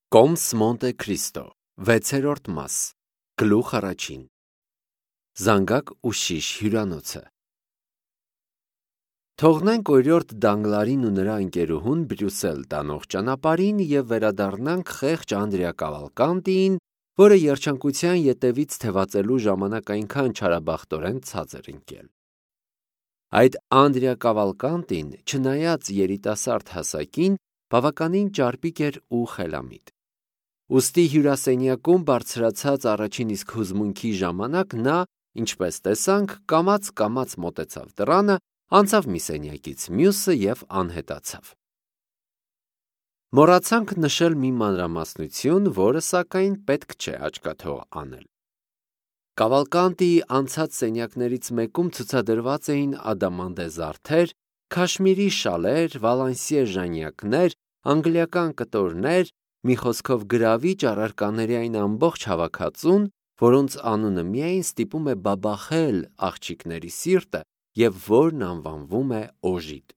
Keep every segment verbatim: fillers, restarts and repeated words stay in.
Կոմս Մոնտե Քրիստո, վեցերորդ մաս, գլուխ առաջին, Զանգակ ուշիշ հյուրանոցը։ Թողնենք օրիորդ Դանգլարին ու նրա ընկերուհուն Բրյուսել տանող ճանապարհին և վերադառնանք խեղճ Անդրիա Կավալկանտիին, որը երջանկության ետևից թևածելու ժամանակ այնքան չարաբախտորեն ցած էր ընկել։ Այդ Անդրիա Կավալկանտին, չնայած երիտասարդ հասակին, բավականին ճարպիկ էր ու խելամիտ։ Ուստի հյուրասենյակում բարձրացած առաջին իսկ հուզմունքի ժամանակ նա, ինչպես տեսանք, կամաց-կամաց մոտեցավ դռանը, անցավ մի սենյակից մյուսը և անհետացավ։ Մոռացանք նշել մի մանրամասնություն, որը, սակայն, պետք չէ աչքաթող անել։ Կավալկանտիի անցած սենյակներից մեկում ցուցադրված էին ադամանդե զարդեր, քաշմիրի շալեր, վալանսիե ժանյակներ, անգլիական կտորներ, մի խոսքով գրավիչ առարկաների այն ամբողջ հավաքածուն, որոնց անունը միայն ստիպում է բաբախել աղջիկների սիրտը և որն անվանվում է օժիտ։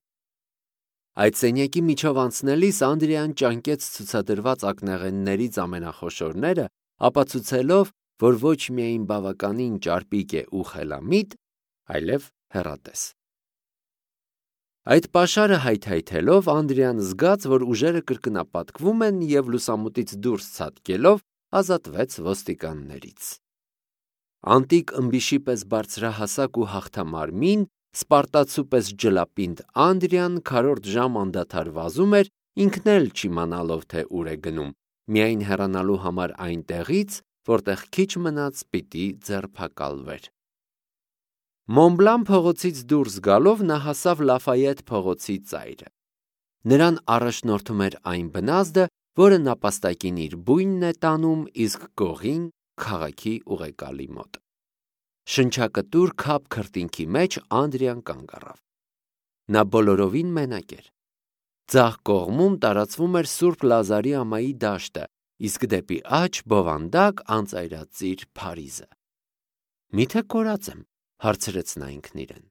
Այդ սենյակի միջով անցնելիս Անդրիան ճանկեց ցուցադրված ակնեղեններից ամենախոշորները, ապացուցելով, որ ոչ միայն բավականին ճարպիկ է ու խելամիտ, այլև հեռատես։ Այդ պաշարը հայթայթելով Անդրիան զգաց, որ ուժերը կրկնապատկվում են և լուսամուտից դուրս ցատկելով ազատվեց ոստիկաններից։ Անտիկ ըմբիշի պես բարձրահասակ ու հաղթամարմին, սպարտացու պես ջլապինդ Անդրիան քառորդ ժամ անդադար վազում էր, ինքն էլ չիմանալով, թե ուր է գնում, միայն հեռանալու համար այնտեղից, որտեղ քիչ մնաց պիտի ձերբակալվեր։ Մոնբլան փողոցից դուրս գալով նա հասավ Լաֆայետ փողոցի ծայրը։ Նրան առաջնորդում էր այն բնազդը, որը նապաստակին իր բույնն է տանում, իսկ գողին քաղաքի ուղեկալի մոտ։ Շնչակտուր քափ քրտինքի մեջ Անդրիան կանգ առավ։ Նա բոլորովին մենակ էր։ Ձախ կողմում տարածվում էր Սուրբ Լազարի ամայի դաշտը, իսկ դեպի աջ բովանդակ անծայրածիր Փարիզը։ Միթե կորած եմ, հարցրեց նա ինքն իրեն։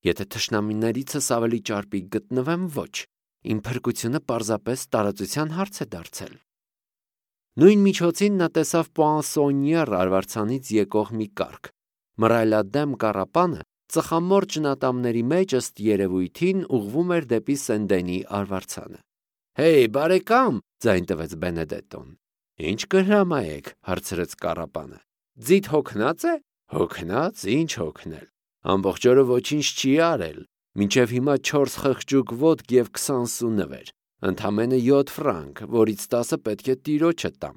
Եթե թշնամիներիցս ավելի ճարպիկ գտնվեմ, ոչ, իմ փրկությունը պարզապես տարածության հարց է դարձել։ Նույն միջոցին նա տեսավ Պուանսոնյեր արվարձանից եկող մի կառք։ Մռայլադեմ կառապանը ծխամորճ նատամների մեջ ըստ երևույթին ուղղվում էր դեպի Սեն-Դենի արվարձանը։ «Հեյ, բարեկամ», ձայն տվեց Բենեդետոն։ «Ինչ կհրամայեք», հարցրեց կառապանը։ «Ձիթ հոգնած է»։ «Հոգնած, ինչ հոգնել։ Ամբողջ օրը ոչինչ չի արել, մինչև հիմա չորս խղճուկ ոտք և քսան սու նվեր, ընդամենը յոթ ֆրանկ, որից տասը պետք է տիրոջը տամ։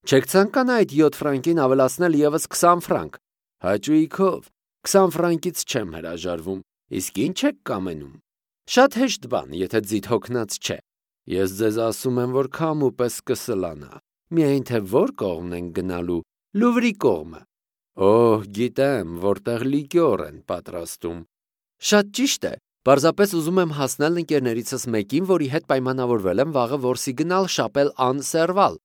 Չեք ցանկանա այդ յոթ ֆրանկին ավելացնել ևս քսան ֆրանկ։ Հաճույքով, քսան ֆրանկից չեմ հրաժարվում, իսկ ինչ եք կամենում։ Շատ հեշտ բան, եթե ձիթ հոգնած չէ։ Ես ձեզ ասում եմ, որ քամու պես կսլանա, միայն թե որ կողմն ենք գնալու, Լուվրի կողմը։ Օհ, գիտեմ, որտեղ լիկյոր են պատրաստում։ Շատ ճիշտ է, պարզապես ուզում եմ հասնել ընկերներիցս մեկին, որի հետ պայմանավորվել եմ վաղը որսի գնալ շապել ան Սերվալ։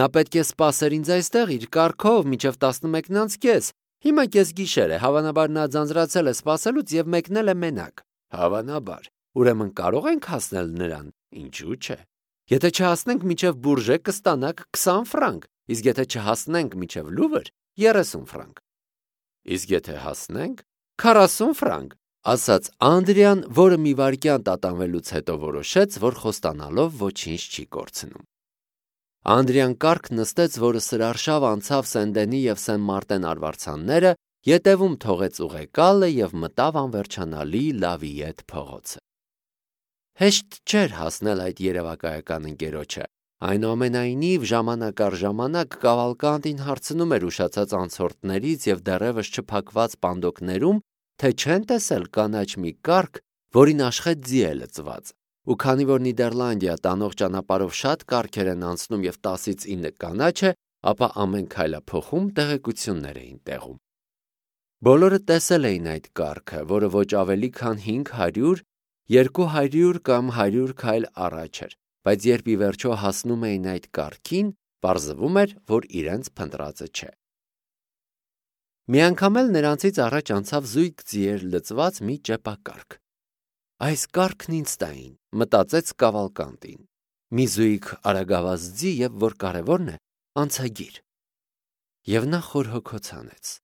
Նա պետք է սպասեր ինձ այստեղ իր կառքով մինչև տասնմեկն անց կես։ Հիմա կեսգիշեր է, հավանաբար նա ձանձրացել է սպասելուց և մեկնել է մենակ։ Հավանաբար, ուրեմն կարող ենք հասնել նրան, ինչու՞ չէ։ Եթե չհասնենք մինչև Բուրժե, կստանաք քսան ֆրանկ, իսկ եթե չհասնենք մինչև Լուվր, երեսուն ֆրանկ։ Իսկ եթե հասնենք, քառասուն ֆրանկ, ասաց Անդրիան, որը մի վայրկյան տատանվելուց հետո որոշեց, որ խոստանալով ոչինչ չի կորցնում։ Անդրիան կառք նստեց, որը սրարշավ անցավ Սեն-Դենի և Սեն-Մարտեն արվարձանները, ետևում թողեց ուղեկալը և մտավ անվերջանալի Լավիետ փողոցը։ Հեշտ չէր հասնել այդ երևակայական ընկերոջը, այնուամենայնիվ ժամանակ առ ժամանակ Կավալկանտին հարցնում էր ուշացած անցորդներից և դեռևս չփակված պանդոկներում, թե չեն տեսել կանաչ մի կառք, որին աշխետ ձի է լցված, ու քանի որ Նիդերլանդիա տանող ճանապարհով շատ կառքեր են անցնում և տասից ինը կանաչ է, ապա ամեն քայլափոխում տեղեկություններ էին տեղում։ Բոլորը տեսել էին այդ կառքը, որը ոչ ավելի քան հինգ հարյուր, երկու հարյուր կամ հարյուր քայլ առաջ էր, բայց երբ ի վերջո հասնում էին այդ կառքին, պարզվում էր, որ իրենց փնտրածը չէ։ Մի անգամ էլ նրանցից առաջ անցավ զույգ ձիեր լցված մի ճեպակառք։ Այս կառքն ինձ տային, մտածեց Կավալկանտին։ մի զույգ արագավազ ձի և, որ կարևորն է, անցագիր։ Եվ նա խորհոքոց անեց։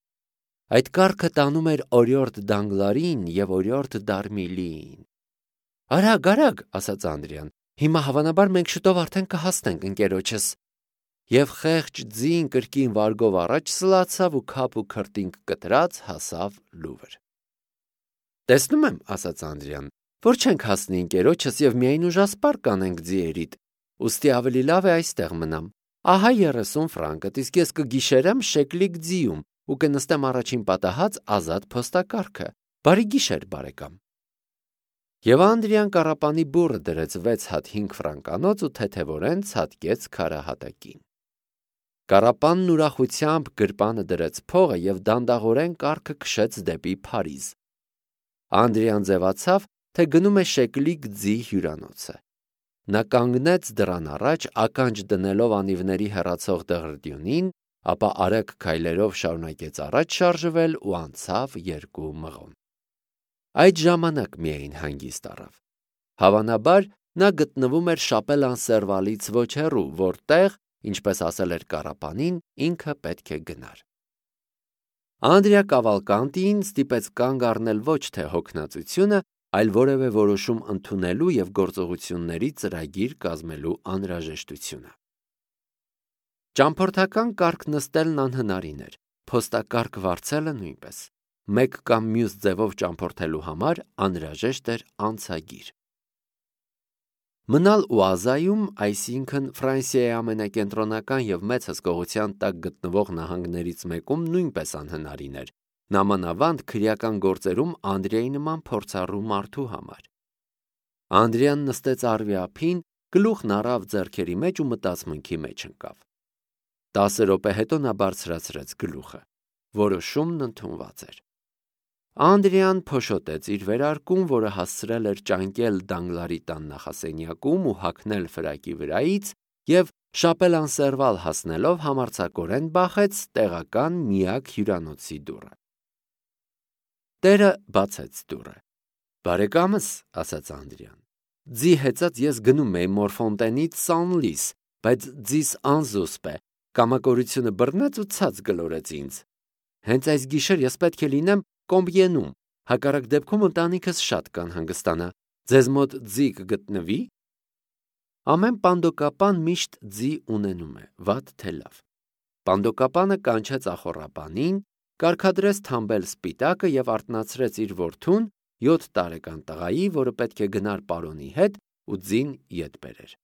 Այդ կառքը տանում էր օրիորդ Դանգլարին և օրիորդ Դարմիլիին։ Արագ, արագ, ասաց Անդրեան, հիմա հավանաբար մենք շուտով արդեն կհասնենք ընկերոջս։ Եվ խեղճ ձին կրկին վարգով առաջ սլացավ ու քափ ու քրտինք կտրած հասավ Լուվր։ Տեսնում եմ, ասաց Անդրեան, որ չենք հասնի ընկերոջս և միայն ուժասպառ կանենք ձիերիդ, ուստի ավելի լավ է այստեղ մնամ։ Ահա երեսուն ֆրանկդ, իսկ ես կգիշերեմ շեկլիկ ձիում ու կնստեմ առաջին պատահած ազատ փոստակառքը։ Բարի գիշեր, բարեկամ։ Եվ Անդրեան կառապանի բուռը դրեց վեց հատ հինգ ֆրանկանոց ու թեթևորեն ցատկեց քարահատակին։ Կառապանն ուրախությամբ գրպանը դրեց փողը և դանդաղորեն կառքը քշեց դեպի Փարիզ։ Անդրեան ձևացավ, թե գնում է շեկլիկ ձի հյուրանոցը։ Նա կանգնեց դռան առաջ, ականջ դնելով անիվների հեռացող դղրդյունին, ապա արագ քայլերով շարունակեց առաջ շարժվել ու անցավ երկու մղոն։ Այդ ժամանակ միայն հանգիստ առավ։ Հավանաբար նա գտնվում էր Շապել-ան-Սերվալից ոչ հեռու, որտեղ, ինչպես ասել էր կառապանին, ինքը պետք է գնար։ Անդրեա Կավալկանտիին ստիպեց կանգ առնել ոչ թե հոգնածությունը, այլ որևէ որոշում ընդունելու և գործողությունների ծրագիր կազմելու անհրաժեշտությունը։ Ճամփորդական կառք նստելն անհնարին էր, փոստակառք վարձելը նույնպես։ Մեկ կամ մյուս ձևով ճամփորդելու համար անհրաժեշտ էր անցագիր։ Մնալ Ուազայում, այսինքն Ֆրանսիայի ամենակենտրոնական և մեծ հսկողության տակ գտնվող նահանգներից մեկում նույնպես անհնարին էր, նամանավանդ քրեական գործերում Անդրեայի նման փորձառու մարդու համար։ Անդրեան նստեց առվի ափին, գլուխն առավ ձեռքերի մեջ ու մտածմունքի մեջ ընկավ։ Տասը րոպե հետո նա բարձրացրեց գլուխը։ Որոշումն ընդունված էր։ Անդրեան փոշոտեց իր վերարկուն, որը հասցրել էր ճանկել Դանգլարի տան նախասենյակում ու հագնել ֆրակի վրայից, և Շապել-ան-Սերվալ հասնելով համարձակորեն բախեց տեղական միակ հյուրանոցի դուռը։ Տերը բացեց դուռը։ Բարեկամս, ասաց Անդրեան, ձի հեծած ես գնում էի Մորֆոնտենից Սանլիս, բայց ձիս անզուսպ է, կամակորությունը բռնեց ու ցած գլորեց ինձ։ Հենց այս գիշեր ես պետք է լինեմ Կոմբիենում, հակառակ դեպքում ընտանիքս շատ կանհանգստանա։ Ձեզ մոտ ձի կգտնվի՞։ Ամեն պանդոկապան միշտ ձի ունենում է, վատ թե լավ։ Պանդոկապանը կանչեց ախոռապանին, կարգադրեց թամբել սպիտակը և արթնացրեց իր որդուն, յոթ տարեկան տղայի, որը պետք է գնար պարոնի հետ ու ձին ետ բերեր։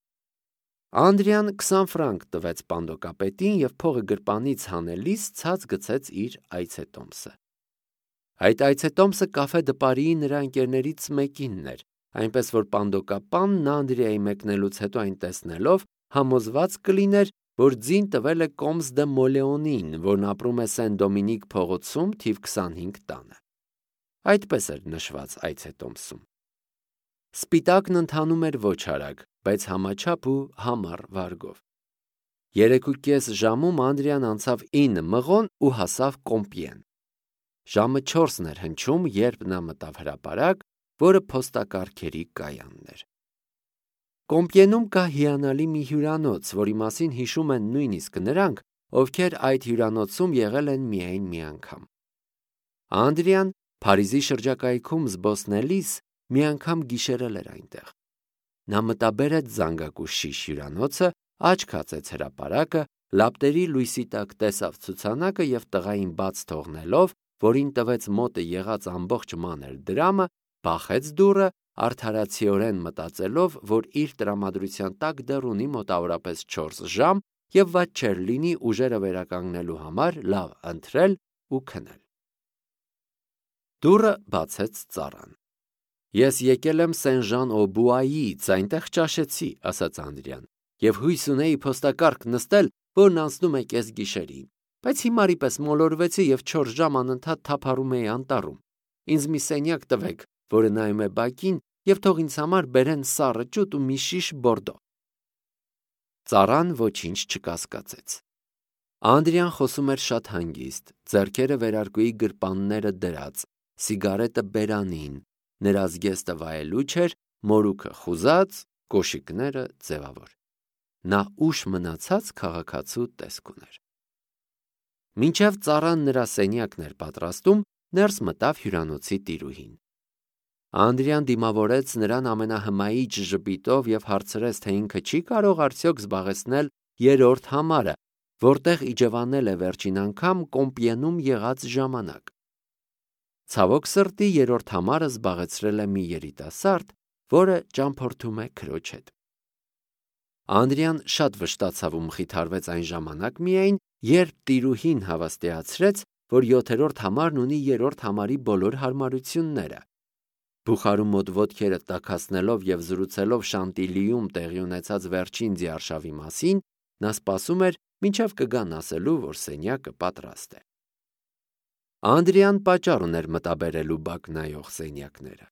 Անդրեան քսան ֆրանկ տվեց պանդոկապետին և փողը գրպանից հանելիս ցած գցեց իր այցետոմսը։ Այդ այցետոմսը կաֆե դպարիի նրա ընկերներից մեկինն էր, այնպես որ պանդոկապանն Անդրեայի մեկնելուց հետո այն տեսնելով համոզված կլիներ, որ ձին տվել է Կոմս դե Մոլեոնին, որն ապրում է Սեն Դոմինիկ փողոցում թիվ քսանհինգ տանը։ Այդպես էր նշված այցետոմսում։ Սպիտակն ընթանում էր ոչ արագ, բայց համաչափ ու համառ վարգով։ Երեք ու կես ժամում Անդրեան անցավ ինը մղոն ու հասավ Կոմպիեն։ Ժամը չորսն էր հնչում, երբ նա մտավ հրապարակ, որը փոստակառքերի կայանն էր։ Կոմպիենում կա հիանալի մի հյուրանոց, որի մասին հիշում են նույնիսկ նրանք, ովքեր այդ հյուրանոցում եղել են միայն մի անգամ։ Անդրեան Փարիզի շրջակայքում զբոսնելիս մի անգամ գիշերել էր այնտեղ։ Նա մտաբերեց զանգակու շիշ հյուրանոցը, աչք հացեց հրապարակը, լապտերի լույսի տակ տեսավ ցուցանակը և տղային բաց թողնելով, որին տվեց մոտը եղած ամբողջ մանր դրամը, բախեց դուռը, արդարացիորեն մտածելով, որ իր տրամադրության տակ դեռ ունի մոտավորապես չորս ժամ և վատ չէր լինի ուժերը վերականգնելու համար լավ ընթրել ու քնել։ Դուռը բացեց ծառան։ Ես եկել եմ Սեն-Ժան-օ-Բուայից, այնտեղ ճաշեցի, ասաց Անդրեան, և հույս ունեի փոստակառք նստել, որն անցնում է կեսգիշերին, բայց հիմարի պես մոլորվեցի և չորս ժամ անընդհատ թափառում էի անտառում։ Ինձ մի սենյակ տվեք, որը նայում է բակին, և թող ինձ համար բերեն սառը ճուտ ու մի շիշ Բորդո։ Ծառան ոչինչ չկասկածեց։ Անդրեան խոսում էր շատ հանգիստ, ձեռքերը վերարկուի գրպանները դրած, սիգարետը բերանին, նրա զգեստը վայելուչ էր, մորուքը խուզած կոշիկները ձևավոր։ Նա ուշ մնացած քաղաքացու տեսք ուներ։ Մինչև ծառան նրա սենյակն էր պատրաստում, ներս մտավ հյուրանոցի տիրուհին։ Անդրեան դիմավորեց նրան ամենահմայիչ ժպիտով և հարցրեց, թե ինքը չի կարող արդյոք զբաղեցնել երրորդ համարը, որտեղ իջևանել է վերջին անգամ Կոմպիենում եղած ժամանակ։ Ցավոք սրտի երրորդ համարը զբաղեցրել է մի երիտասարդ, որը ճամփորդում է քրոջ հետ։ Անդրեան շատ վշտացավ ու մխիթարվեց այն ժամանակ միայն, երբ տիրուհին հավաստիացրեց, որ յոթերորդ համարն ունի երրորդ համարի բոլոր հարմարությունները։ Բուխարու մոտ ոտքերը տաքացնելով և զրուցելով Շանտիլիում տեղի ունեցած վերջին ձիարշավի մասին, նա սպասում էր, մինչև կգան ասելու, որ սենյակը պատրաստ է։ Անդրեան պատճառ ուներ մտաբերելու բակ նայող սենյակները։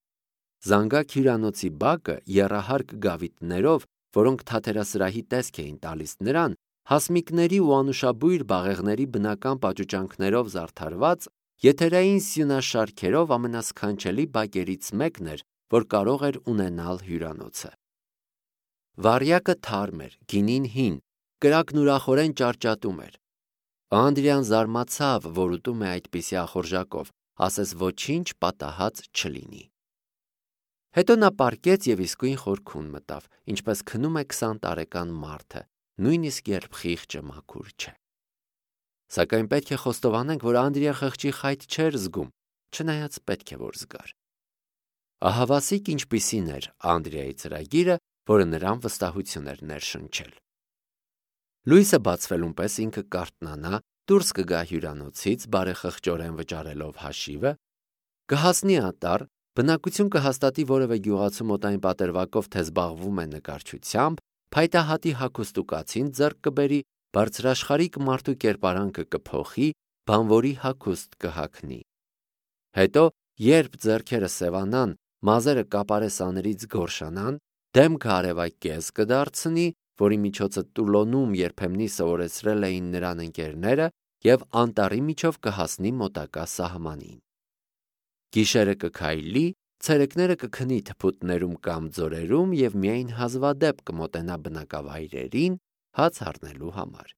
Զանգակ հյուրանոցի բակը եռահարկ գավիթներով, որոնք թաթերասրահի տեսք էին տալիս նրան, հասմիկների ու անուշաբույր բաղեղների բնական պաճուճանքներով զարդարված, եթերային սյունաշարքերով ամենասքանչելի բակերից մեկն էր, որ կարող էր ունենալ հյուրանոցը։ Վառյակը թարմ էր, գինին հին, կրակն ուրախորեն ճարճատում էր։ Անդրեան զարմացավ, որ ուտում է այդպիսի ախորժակով, ասես ոչինչ պատահած չլինի։ Հետո նա պառկեց և իսկույն խորքուն մտավ, ինչպես քնում է քսան տարեկան մարդը, նույնիսկ երբ խիղճը մաքուր չէ։ Սակայն պետք է խոստովանենք, որ Անդրեան խղճի խայտ չէր զգում, չնայած պետք է որ զգար։ Ահավասիկ ինչպիսին էր Անդրեայի ծրագիրը, որը նրան վստահություն էր ներշնչել։ Լույսը բացվելուն պես ինքը կարթնանա, դուրս կգա հյուրանոցից, բարեխղճորեն վճարելով հաշիվը, կհասնի անտառ, բնակություն կհաստատի որևէ գյուղացու մոտ այն պատրվակով, թե զբաղվում է նկարչությամբ, փայտահատի հագուստ ու կացին ձեռք կբերի, բարձրաշխարհիկ մարդու կերպարանքը կփոխի, բանվորի հագուստ կհագնի։ Հետո, երբ ձեռքերը սևանան, մազերը կապարե սաներից գորշանան, դեմքը արևակեզ կդարձնի, որի միջոցը Տուլոնում երբեմնի սովորեցրել էին նրան ընկերները, և անտառի միջով կհասնի մոտակա սահմանին։ Գիշերը կքայլի, ցերեկները կքնի թփուտներում կամ ձորերում և միայն հազվադեպ կմոտենա բնակավայրերին հաց առնելու համար։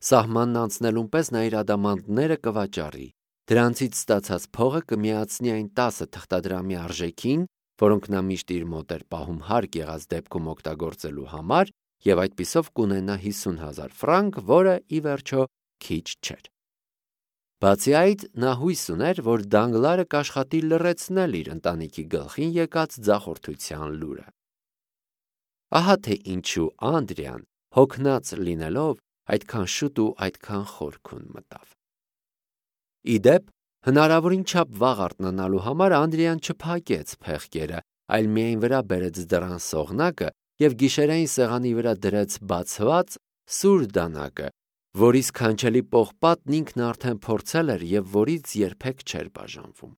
Սահմանն անցնելուն պես նա իր ադամանդները կվաճառի, դրանցից ստացած փողը կմիացնի այն տասը թղթադրամի արժեքին, որոնք նա միշտ իր մոտ էր պահում հարկ եղած դեպքում օգտագործելու համար, և այդպիսով կունենա հիսուն հազար ֆրանկ, որը, ի վերջո, քիչ չէր։ Բացի այդ, նա հույս ուներ, որ Դանգլարը կաշխատի լռեցնել իր ընտանիքի գլխին եկած ձախորդության լուրը։ Ահա թե ինչու Անդրեան, հոգնած լինելով, այդքան շուտ ու այդքան խորքուն մտավ։ Ի դեպ, հնարավորին չափ վաղ արթնանալու համար Անդրեան չփակեց փեղկերը, այլ միայն վրա բերեց դռան սողնակը և գիշերային սեղանի վրա դրեց բացված սուր դանակը, որի սքանչելի պողպատն ինքն արդեն փորձել էր և որից երբեք չէր բաժանվում։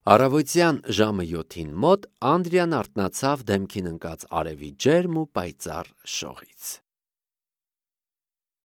Առավոտյան ժամը յոթին մոտ Անդրեան արթնացավ դեմքին ընկած արևի ջերմ ու պայծառ շողից։